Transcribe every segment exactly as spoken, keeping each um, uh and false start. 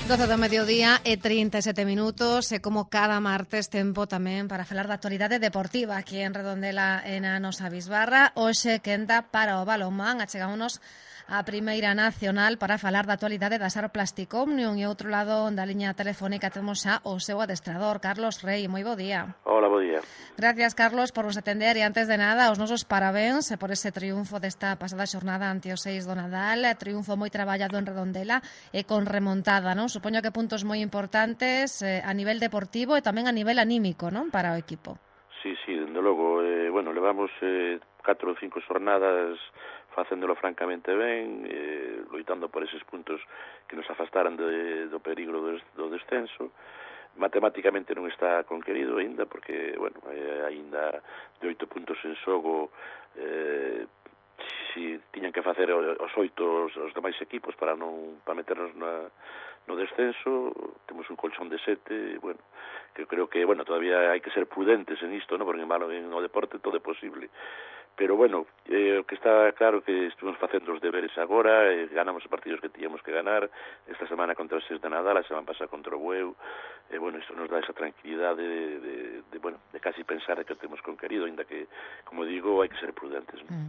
doce do mediodía e trinta e sete minutos e como cada martes tempo tamén para falar da actualidade deportiva aquí en Redondela e na nosa bisbarra. Hoxe quenda para o balonmán, achegámonos a Primeira Nacional para falar da actualidade da SAR Plastic Omnium e outro lado da liña telefónica temos xa o seu adestrador, Carlos Rei. Moi bo día. Hola, bo día. Gracias, Carlos, por nos atender e antes de nada os nosos parabéns por ese triunfo desta pasada xornada ante os seis do Nadal, triunfo moi traballado en Redondela e con remontada, non? Supoño que puntos moi importantes eh, a nivel deportivo e tamén a nivel anímico, non? Para o equipo. Sí, sí, dende logo, eh, bueno, levamos eh, catro ou cinco xornadas facéndolo francamente ben, eh, loitando por eses puntos que nos afastaran de, do peligro do, do descenso. Matemáticamente non está conquerido aínda, porque, bueno, eh, aínda de oito puntos en xogo, eh, si tiñan que facer os oito os, os demais equipos para non para meternos na, no descenso, temos un colchón de sete, bueno, que creo que, bueno, todavía hai que ser prudentes en isto, ¿no? Porque en no deporte todo é posible. Pero, bueno, eh, o que está claro que estuvimos facendo os deberes agora, eh, ganamos os partidos que tiñamos que ganar, esta semana contra os seis de Nadal, a semana pasada contra o Bueu, e, eh, bueno, isto nos dá esa tranquilidade de, de, de, bueno, de casi pensar que o temos conquerido, ainda que, como digo, hai que ser prudentes, ¿no? Mm.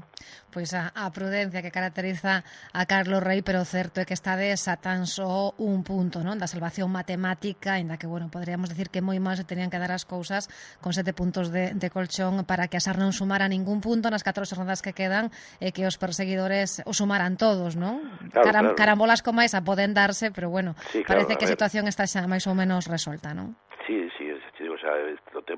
Pois a, a prudencia que caracteriza a Carlos Rei, pero o certo é que estades a tan só un punto, non? Da salvación matemática, ainda que, bueno, podríamos decir que moi máis se tenían que dar as cousas con sete puntos de, de colchón para que a SAR non sumara ningún punto nas catro xornadas que quedan e que os perseguidores o sumaran todos, non? Claro, Caram, claro. Carambolas como esa poden darse, pero bueno, sí, claro, parece que a, a situación está xa máis ou menos resolta, non? Sí, sí, te digo, o sea,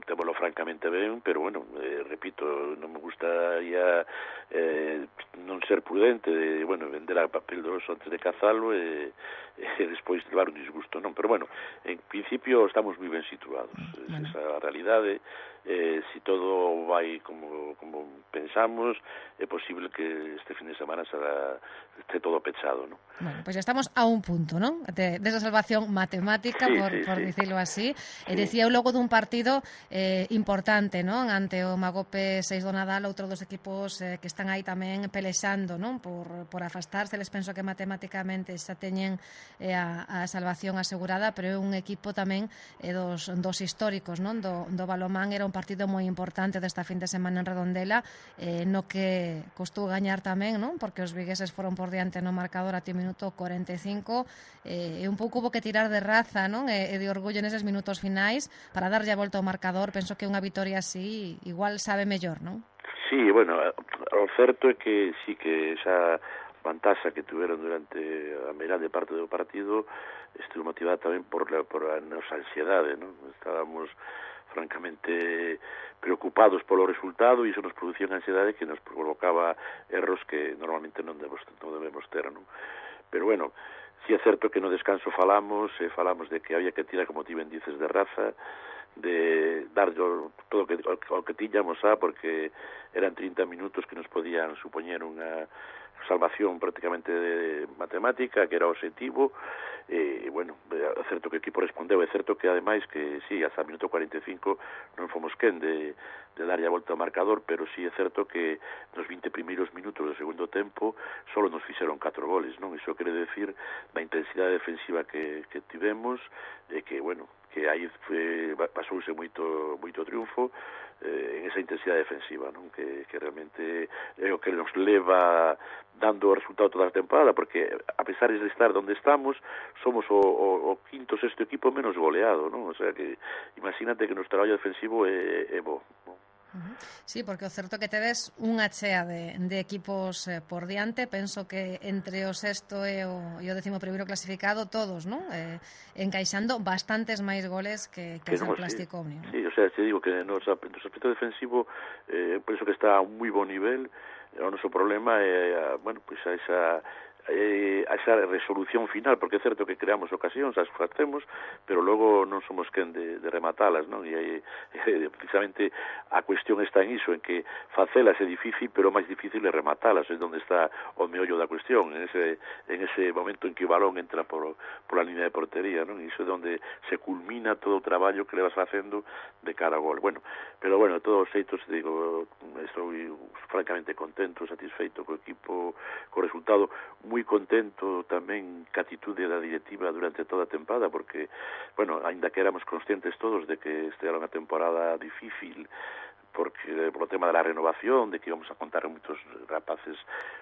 témolo francamente ben, pero bueno, eh, repito, non me gustaría eh, non ser prudente, de, bueno, vender a papel do oso antes de cazalo e, e despois levar un disgusto, non? Pero bueno, en principio estamos moi ben situados, Bueno. Esa é a realidade. Eh, si todo vai como, como pensamos, é posible que este fin de semana será, esté todo pechado, non? Bueno, pois pues estamos a un punto, non? De, de esa salvación matemática, sí, por, sí, por sí. dicilo así. Sí. E decía eu logo dun partido eh, importante, non? Ante o Magope seis do Nadal, outro dos equipos eh, que están aí tamén pelexando, non? Por, por afastarse, les penso que matemáticamente xa teñen eh, a, a salvación asegurada, pero é un equipo tamén eh, dos, dos históricos, non? Do, do balomán. Era un partido moi importante desta fin de semana en Redondela, eh, no que costou gañar tamén, non? Porque os vigueses foron por diante no marcador até o minuto cuarenta e cinco, eh, e un pouco hubo que tirar de raza, non? E, e de orgullo neses minutos finais para darlle a volta ao marcador. Penso que unha vitoria así igual sabe mellor, non? Sí, bueno, o certo é que sí que esa vantaxa que tuveron durante a meirande parte do partido estuvo motivada tamén por, la, por a nosa ansiedade, non? Estábamos francamente preocupados polo resultado e iso nos producía unha ansiedade que nos provocaba erros que normalmente non debemos, non debemos ter, non? Pero bueno, si é certo que no descanso falamos, eh, falamos de que había que tirar, como ti ben dices, de raza, de dar todo o que, o que tiñamos a, porque eran trinta minutos que nos podían supoñer unha salvación prácticamente de matemática, que era o objetivo. E, bueno, é certo que o equipo respondeu, é certo que, ademais, que sí, hasta o minuto cuarenta e cinco non fomos quen de, de darlle a volta ao marcador, pero sí é certo que nos vinte primeiros minutos do segundo tempo solo nos fixeron catro goles, non? Iso quere decir da intensidade defensiva que, que tivemos, e que, bueno, que aí foi, pasouse moito, moito triunfo eh, en esa intensidade defensiva, non? Que, que realmente é o que nos leva dando o resultado toda a temporada, porque a pesar de estar onde estamos, somos o, o, o quinto, sexto equipo menos goleado, non? O sea que imagínate que o noso traballo defensivo é, é bo, non? Sí, porque o certo que tedes unha chea de, de equipos eh, por diante. Penso que entre o sexto e o, e o décimo primeiro clasificado todos, non? Eh, encaixando bastantes máis goles que, que, que o Plastic Omnium. Sí, o sea, te digo que no aspecto defensivo eh, penso que está a un moi bon nivel. O noso problema é, bueno, pois pues a esa eh, a esa resolución final, porque é certo que creamos ocasións, as facemos, pero logo non somos quen de, de rematalas, non? E aí, eh, precisamente a cuestión está en iso, en que facelas é difícil, pero máis difícil é rematalas, é onde está o meollo da cuestión, en ese, en ese momento en que o balón entra por, por a línea de portería, non? E iso é onde se culmina todo o traballo que le vas facendo de cara ao gol. Bueno, pero bueno, todos os xeitos, digo, estou francamente contento, satisfeito co equipo, co resultado, moi moi contento tamén ca atitude da directiva durante toda a tempada, porque, bueno, aínda que éramos conscientes todos de que esta era unha temporada difícil, porque por o tema da renovación, de que íbamos a contar con moitos rapaces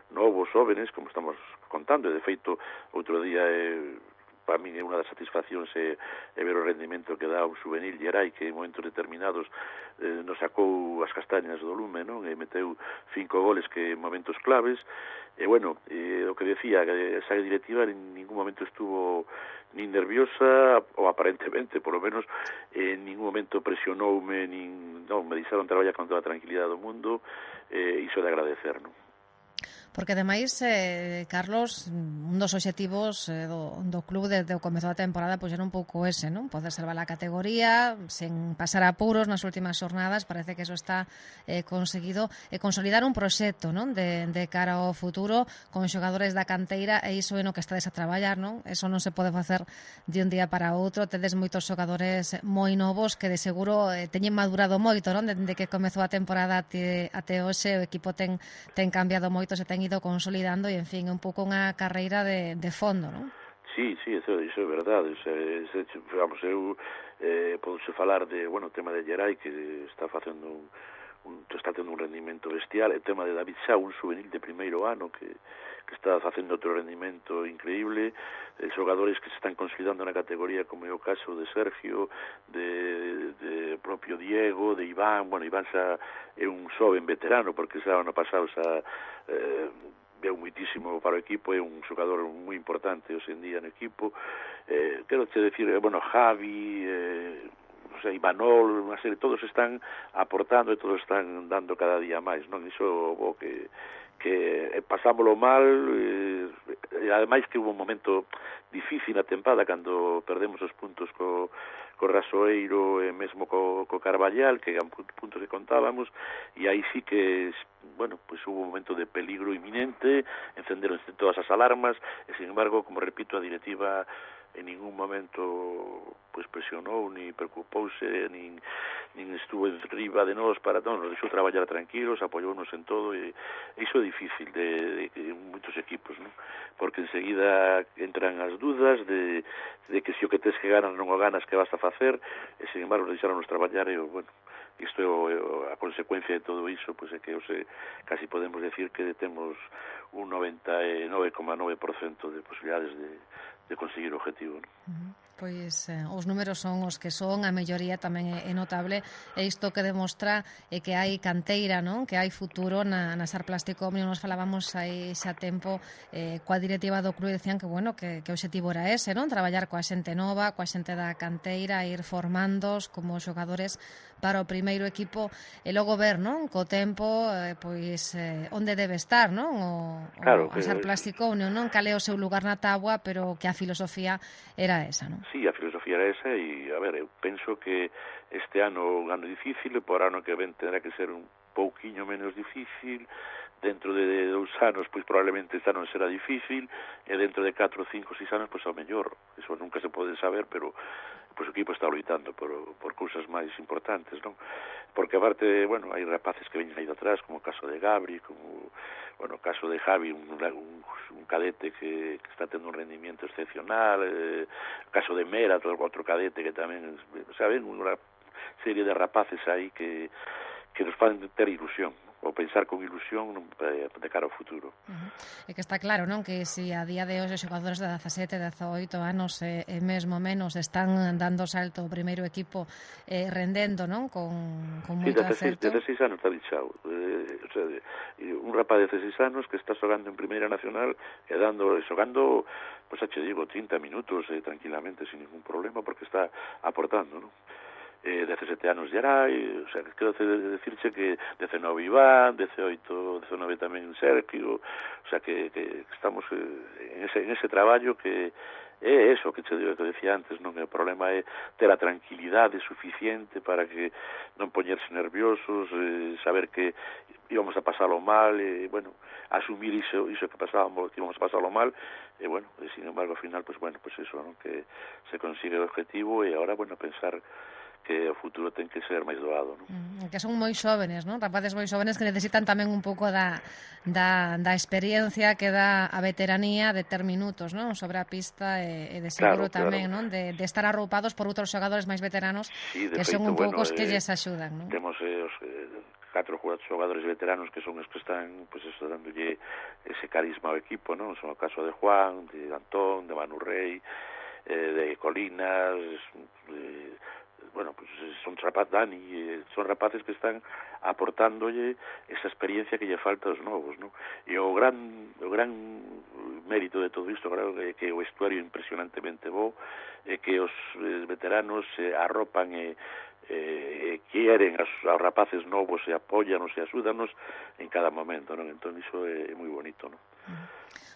novos, jóvenes, como estamos contando, e de feito, outro día, eh, para mí, unha das satisfaccións é, é ver o rendimento que dá o juvenil Gerai, que en momentos determinados eh, nos sacou as castañas do lume, non? E meteu cinco goles que en momentos claves, e, bueno, eh, o que decía, que esa directiva en ningún momento estuvo nin nerviosa, ou aparentemente, por lo menos, en ningún momento presionoume, nin, non, me deixaron traballar con toda a tranquilidade do mundo, e iso de agradecer, non? Porque, ademais, eh, Carlos, un dos obxectivos eh, do, do club desde o comezo da temporada pois era un pouco ese, non? Poder salvar a categoría sen pasar apuros nas últimas xornadas. Parece que eso está eh, conseguido, e consolidar un proxecto, non? De, de cara ao futuro con xogadores da canteira, e iso é no que estades a traballar, non? Eso non se pode facer de un día para outro. Tedes moitos xogadores moi novos que de seguro eh, teñen madurado moito, non? Dende que comezou a temporada até, até hoxe o equipo ten, ten cambiado moito, se ten ido consolidando, e, en fin, un pouco unha carreira de, de fondo, non? Sí, sí, eso, eso é verdade. O sea, ese, vamos, eu eh, podo falar de, bueno, o tema de Gerai, que está facendo un, un, está tendo un rendimento bestial, o tema de David Xa, un juvenil de primeiro ano que, que está facendo outro rendimento increíble, eh, xogadores que se están consolidando na categoría, como é o caso de Sergio, de, de propio Diego, de Iván. Bueno, Iván xa é un xoven veterano, porque xa ano pasado xa eh, veu muitísimo para o equipo, é un xogador moi importante hoxe en día no equipo. Eh, quero te decir, bueno, Javi, eh, o sea, Imanol, unha serie, todos están aportando e todos están dando cada día máis, non? Iso o que que pasámoslo mal, eh, e ademais que hubo un momento difícil na tempada cando perdemos os puntos co, co Rasoeiro e mesmo co, co Carballal, que eran puntos que contábamos, e aí sí que, bueno, pues hubo un momento de peligro inminente, encenderonse todas as alarmas, e sin embargo, como repito, a directiva en ningún momento pues presionou, ni preocupouse, nin, nin estuvo enriba de nós para non, nos deixou traballar tranquilos, apoyounos en todo, e iso é difícil de, de, de moitos equipos, non? Porque enseguida entran as dudas de, de que se o que tes que ganas non o ganas, que vas a facer, e sin embargo deixaronnos traballar, e bueno, isto é o, a consecuencia de todo iso, pois é que ose, casi podemos decir que temos un noventa e nove coma nove por cento de posibilidades de, de conseguir o objetivo, non? Uh-huh. Pois eh, os números son os que son, a melloría tamén é, é notable, e isto que demostra é que hai canteira, non? Que hai futuro na, na Sar Plástico Omnium. Nos falábamos aí xa tempo eh, coa directiva do club, e decían que, bueno, que, que o objetivo era ese, non? Traballar coa xente nova, coa xente da canteira, ir formándos como xogadores para o primeiro equipo, e logo ver, non? Co tempo, eh, pois, eh, onde debe estar, non? O, claro, o a Sar Plástico Omnium, non? Cal é o seu lugar na táboa, pero que a filosofía era esa, non? Sí, a filosofía era esa, e, a ver, eu penso que este ano un ano difícil, e por ano que ven tendrá que ser un pouquiño menos difícil, dentro de dous anos, pois probablemente este ano será difícil, e dentro de catro, cinco, seis anos, pois ao mellor, eso nunca se pode saber, pero pois o equipo está loitando por, por cousas máis importantes, non? Porque aparte, bueno, hai rapaces que veñen aí de atrás, como o caso de Gabri, como, bueno, o caso de Javi, un, un, un cadete que, que está tendo un rendimiento excepcional, eh, o caso de Mera, outro, outro cadete que tamén, saben, unha serie de rapaces aí que, que nos fan ter ilusión, ou pensar con ilusión de cara ao futuro. Uh-huh. É que está claro, non? Que se a día de hoxe os xogadores de dezasete, dezaoito anos e, e mesmo menos están dando salto ao primeiro equipo, eh, rendendo, non? Con, con moito sí, acerto. dezaseis anos está dichado. Eh, o sea, un rapaz de dezaseis anos que está xogando en Primeira Nacional e dando, xogando, pois, pues, xa digo, trinta minutos eh, tranquilamente, sin ningún problema, porque está aportando, non? Eh, dezasete anos Gerai, o sea, quero decirche que dezenove Iván, dezaoito, dezenove tamén Sergio, o sea, que, que estamos eh, en, ese, en ese traballo que é eso que te digo, que decía antes, non? O problema é ter a tranquilidade suficiente para que non poñerse nerviosos, eh, saber que íbamos a pasalo mal, e, bueno, asumir iso, iso que pasábamos, que íbamos a pasalo mal, e, bueno, e, sin embargo, ao final, pues, bueno, pues eso, non? Que se consigue o objetivo, e agora, bueno, pensar que o futuro ten que ser máis doado, non? Mm, que son moi xóvenes, non? Rapaces moi xóvenes que necesitan tamén un pouco da, da, da experiencia que dá a veteranía de ter minutos, non? Sobre a pista e, e de seguro Claro, tamén, claro. non? De, de estar arroupados por outros xogadores máis veteranos Sí, de que son feito, un pouco bueno, os que eh, lles axudan, non? temos eh, os eh, catro xogadores veteranos que son os que están, pues, eso, dándolle ese carisma ao equipo, non? Son o caso de Juan, de Antón, de Manu Rey, eh, de Colinas, eh, bueno, pues son rapaz Dani, eh, son rapaces que están aportándolle esa experiencia que lle falta aos novos, non? E o gran o gran mérito de todo isto, claro, é que o vestuario é impresionantemente bo, e que os eh, veteranos se eh, arropan e eh, quieren aos, aos rapaces novos e apóyanos e axúdanos en cada momento, non? Entón iso é, é moi bonito, non?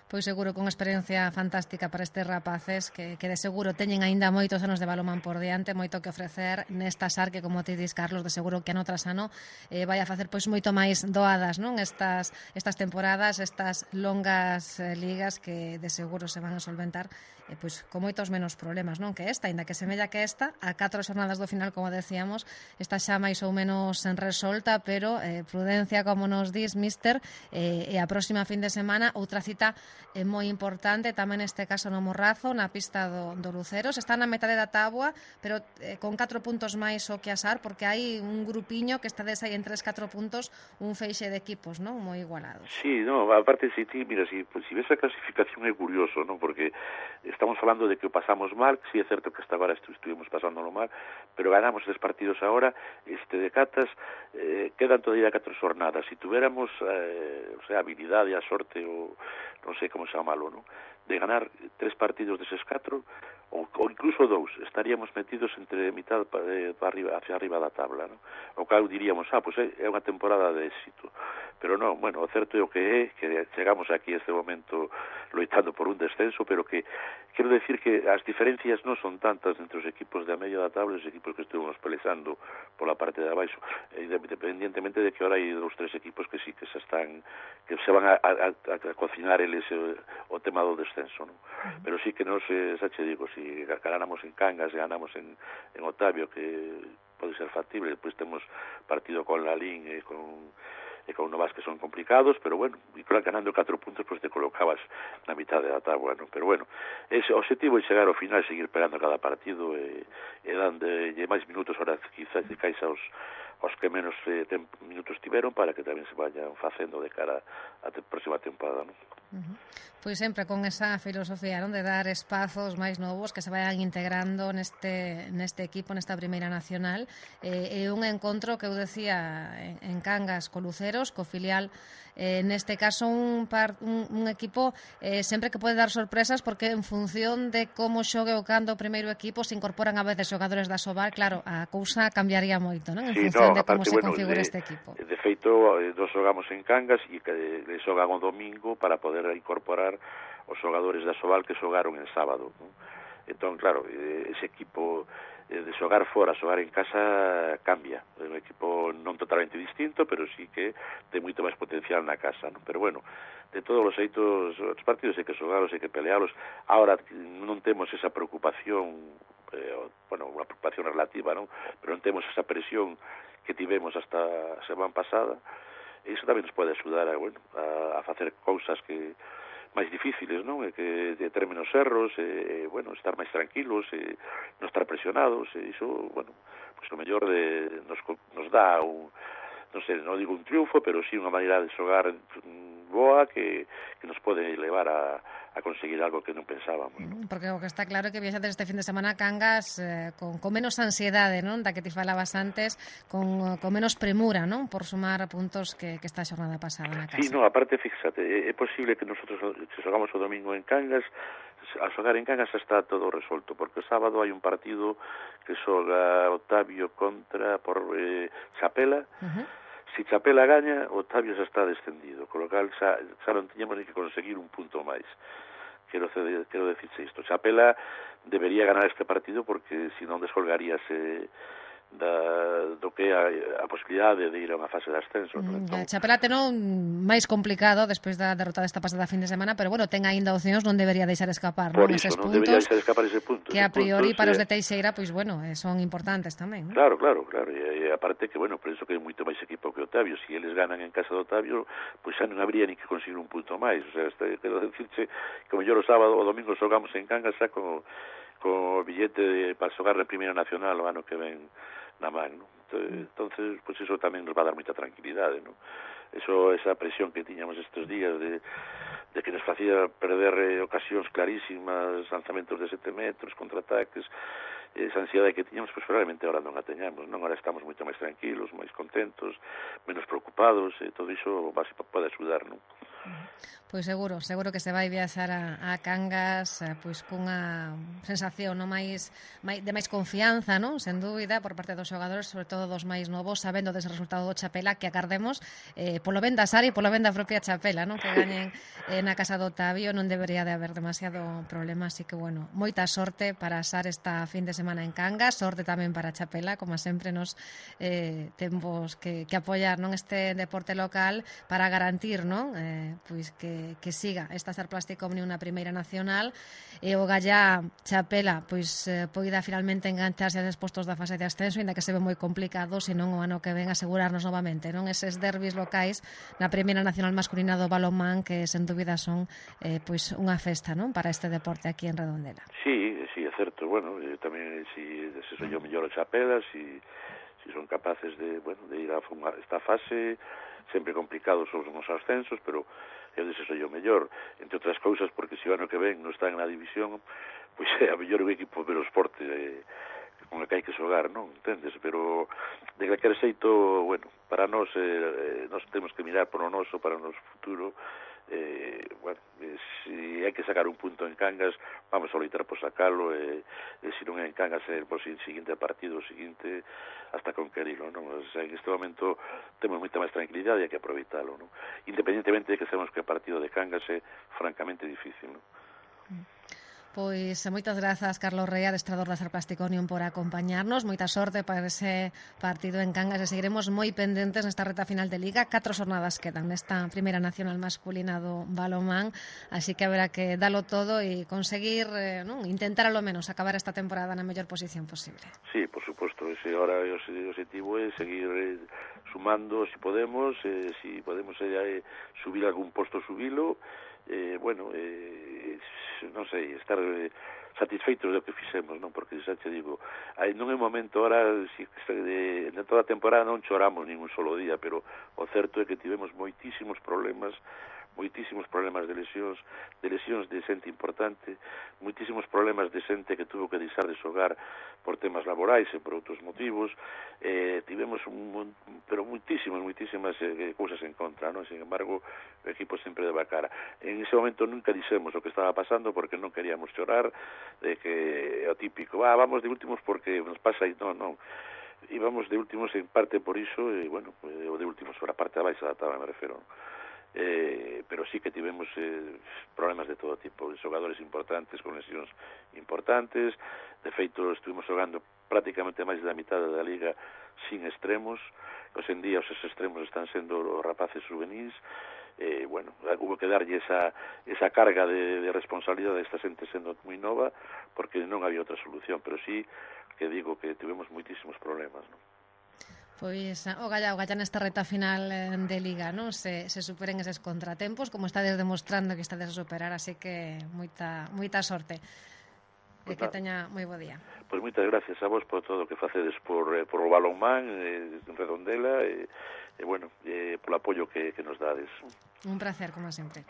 Pois seguro con experiencia fantástica para estes rapaces que, que de seguro teñen aínda moitos anos de balomán por diante, moito que ofrecer nesta SAR que, como ti dis, Carlos, de seguro que ano tras ano eh, vai a facer pois moito máis doadas, non? Estas, estas temporadas, estas longas eh, ligas que de seguro se van a solventar eh, pois con moitos menos problemas, non? Que esta, aínda que semella que esta, a catro xornadas do final, como decíamos, está xa máis ou menos en resolta, pero eh, prudencia, como nos dis, mister, eh, e a próxima fin de semana outra cita é moi importante, tamén neste caso no Morrazo, na pista do, do Luceros. Está na metade da táboa, pero eh, con catro puntos máis o que asar, porque hai un grupiño que está desai en tres, catro puntos, un feixe de equipos, non? Moi igualados. Sí, no, aparte, si ti, mira, si, pues, si ves a clasificación é curioso, non? Porque estamos falando de que o pasamos mal, si sí, é certo que hasta agora estu estuvimos pasándolo mal, pero ganamos tres partidos agora, este de Catas, eh, quedan todavía catro xornadas. Si tuviéramos, eh, o sea, habilidade, a sorte, o non sei como chamalo, non? De ganar tres partidos deses catro, ou, ou incluso dous, estaríamos metidos entre mitad para, para arriba, hacia arriba da tabla, non? O cal diríamos, ah, pois pues é unha temporada de éxito. Pero non, bueno, o certo é o que é, que chegamos aquí a este momento loitando por un descenso, pero que quero decir que as diferencias non son tantas entre os equipos de a medio da tabla e os equipos que estuvemos pelexando pola parte de abaixo, independientemente de que ahora hai dos tres equipos que sí que se están, que se van a, a, a cocinar eles o, o tema do descenso, non? Uh-huh. Pero sí que nos, eh, xa che digo, si ganamos en Cangas e ganamos en, en Otavio, que pode ser factible, depois temos partido con Lalín e con e con Novas que son complicados, pero bueno, e claro, ganando catro puntos, pois pues te colocabas na mitad da táboa, non? Pero bueno, ese objetivo é chegar ao final, seguir pegando cada partido e, e dando máis minutos, ahora quizás de cais aos, aos que menos eh, tem, minutos tiveron, para que tamén se vayan facendo de cara á te, próxima temporada, non? Uh-huh. Pois sempre con esa filosofía, non? De dar espazos máis novos que se vayan integrando neste, neste equipo, nesta primeira nacional. Eh, é un encontro que eu decía en, en Cangas co Luceros, co filial, eh, neste caso un, par, un, un equipo eh, sempre que pode dar sorpresas, porque en función de como xogue o cando o primeiro equipo se incorporan a veces xogadores da Sobal, claro, a cousa cambiaría moito, non? En sí, función no, de como aparte, se bueno, configura de, este equipo. De feito, nos xogamos en Cangas e que le xogan o domingo para poder incorporar os xogadores da Sobal que xogaron en sábado, non? Entón, claro, ese equipo de xogar fora, xogar en casa cambia, é un equipo non totalmente distinto, pero sí que ten moito máis potencial na casa, non? Pero bueno, de todos os xeitos, os partidos hai que xogalos, hai que pelealos. Ahora non temos esa preocupación, eh, bueno, unha preocupación relativa, non? Pero non temos esa presión que tivemos hasta a semana pasada, e iso tamén nos pode axudar a, bueno, a, a facer cousas que máis difíciles, non? E que de ter menos erros, e, bueno, estar máis tranquilos, e non estar presionados, e iso, bueno, pues o mellor de, nos, nos dá un, non sei, non digo un triunfo, pero sí unha maneira de xogar boa que, que nos pode levar a, a conseguir algo que non pensábamos, non? Porque o que está claro é que viaxades este fin de semana a Cangas eh, con, con menos ansiedade, non? Da que ti falabas antes, con, con menos premura, non? Por sumar puntos que, que esta xornada pasada na casa. Sí, no, aparte, fíxate, é, é posible que nosotros, se xogamos o domingo en Cangas, a xogar en Cangas está todo resolto, porque o sábado hai un partido que xoga Otavio contra por eh, Chapela. Uh-huh. Si Chapela gaña, Otavio xa está descendido, con lo cal xa, xa non tiñamos ni que conseguir un punto máis. Quero, quero decirse isto. Chapela debería ganar este partido, porque si non descolgaríase da, do que a, a posibilidade de ir a unha fase de ascenso. Mm, Entón, Chapela teno máis complicado despois da derrota desta pasada fin de semana, pero bueno, ten aínda opcións, non debería deixar escapar, por non, iso, eses non debería puntos deixar escapar ese punto. que a priori puntos, para os eh, de Teixeira, pois bueno, eh, son importantes tamén, non? Claro, claro, claro, e, e aparte que, bueno, penso que é moito máis equipo que Otavio. Se si eles ganan en casa de Otavio, pois xa non habría ni que conseguir un punto máis. O sea, este, quero decirche que o mellor o sábado o domingo xogamos en Cangas xa con, con o billete de, para xogar na Primeira Nacional o ano que ven na man, non? Entonces, pois pues eso tamén nos va a dar moita tranquilidade, non? Eso, esa presión que tiñamos estes días de, de que nos facía perder eh, ocasións clarísimas, lanzamentos de sete metros, contraataques, esa ansiedade que tiñamos, pois probablemente ahora non a teñamos, non? Ahora estamos moito máis tranquilos, máis contentos, menos preocupados, e todo iso pode axudar, non? Pois seguro, seguro que se vai viaxar a, a Cangas pois cunha sensación no máis, máis de máis confianza, non? Sen dúbida, por parte dos xogadores, sobre todo dos máis novos, sabendo dese resultado do Chapela, que agardemos eh, polo ben da Sari e polo ben da propia Chapela, non? Que gañen eh, na casa do Otavio, non debería de haber demasiado problema, así que bueno, moita sorte para a Sar esta fin de semana en Cangas, sorte tamén para Chapela, como sempre nos eh, temos que, que apoiar non este deporte local para garantir, non? Eh, pois que que siga esta Sar Plástico Omnium na Primeira Nacional e o Gallá Chapela pois eh, poida finalmente engancharse a eses postos da fase de ascenso, ainda que se ve moi complicado, senón o ano que ven asegurarnos novamente, non, eses derbis locais na Primeira Nacional masculina do balonmán, que sen dúbida son eh, pois unha festa, non, para este deporte aquí en Redondela. Sí, sí, é certo, bueno, eh, tamén si se soy o mellor o Chapela, si si son capaces de, bueno, de ir a esta fase, sempre complicados os nos ascensos, pero eu deseso o mellor, entre outras cousas, porque se o ano que ven non está na división, pois é a mellor o equipo do esporte eh, con o que hai que xogar, non? Entendes? Pero de calquer xeito, bueno, para nós eh, nós temos que mirar por o noso, para o noso futuro. Eh, bueno, eh, si hai que sacar un punto en Cangas, vamos a loitar por sacalo, e, e se non é en Cangas, é por si seguinte partido, o seguinte, hasta conquerilo, non? O sea, en este momento temos moita máis tranquilidade e hai que aproveitalo, non? Independentemente de que sabemos que o partido de Cangas é francamente difícil, non? Pois moitas grazas, Carlos Rey, adestrador da Sar Plástico Omnium, por acompañarnos. Moita sorte para ese partido en Cangas e seguiremos moi pendentes nesta reta final de Liga. Catro xornadas quedan nesta Primeira Nacional masculina do balonmán, así que haberá que dalo todo e conseguir, eh, non, intentar ao menos acabar esta temporada na mellor posición posible. Sí, por suposto, ese ahora o objetivo é seguir eh, sumando, se si podemos, eh, se si podemos eh, subir algún posto, subilo, eh, bueno, eh, non sei, estar eh, satisfeitos do que fixemos, non? Porque xa te digo, aí non é momento ahora, si, de, de toda a temporada non choramos nin un solo día, pero o certo é que tivemos moitísimos problemas, moitísimos problemas de lesións, de lesións de xente importante, moitísimos problemas de xente que tuvo que deixar de xogar por temas laborais e por outros motivos, eh, tivemos un, pero moitísimas, moitísimas eh, cousas en contra, non? Sin embargo, o equipo sempre daba cara. En ese momento nunca dixemos o que estaba pasando porque non queríamos chorar, de que é o típico, ah, vamos de últimos porque nos pasa aí, non, non. Íbamos de últimos en parte por iso, e, bueno, o de últimos por a parte abaixo da tabla, me refero, non? Eh, pero sí que tivemos eh, problemas de todo tipo, de xogadores importantes, con lesións importantes. De feito, estuvimos xogando prácticamente máis da mitad da liga sin extremos. Hoxe en día os extremos están sendo os rapaces juvenis. Eh, bueno, hubo que darlle esa, esa carga de, de responsabilidade a esta xente sendo moi nova, porque non había outra solución, pero sí que digo que tivemos moitísimos problemas, non? Pois o Gallá, o Gallá nesta reta final de Liga, non? Se, se superen eses contratempos, como estades demostrando que estades a superar, así que moita moita sorte. E pues que teña moi bo día. Pois pues moitas gracias a vos por todo o que facedes por, eh, por o balonmán eh, en Redondela e, eh, bueno, eh, polo apoio que, que nos dades. Un placer, como sempre.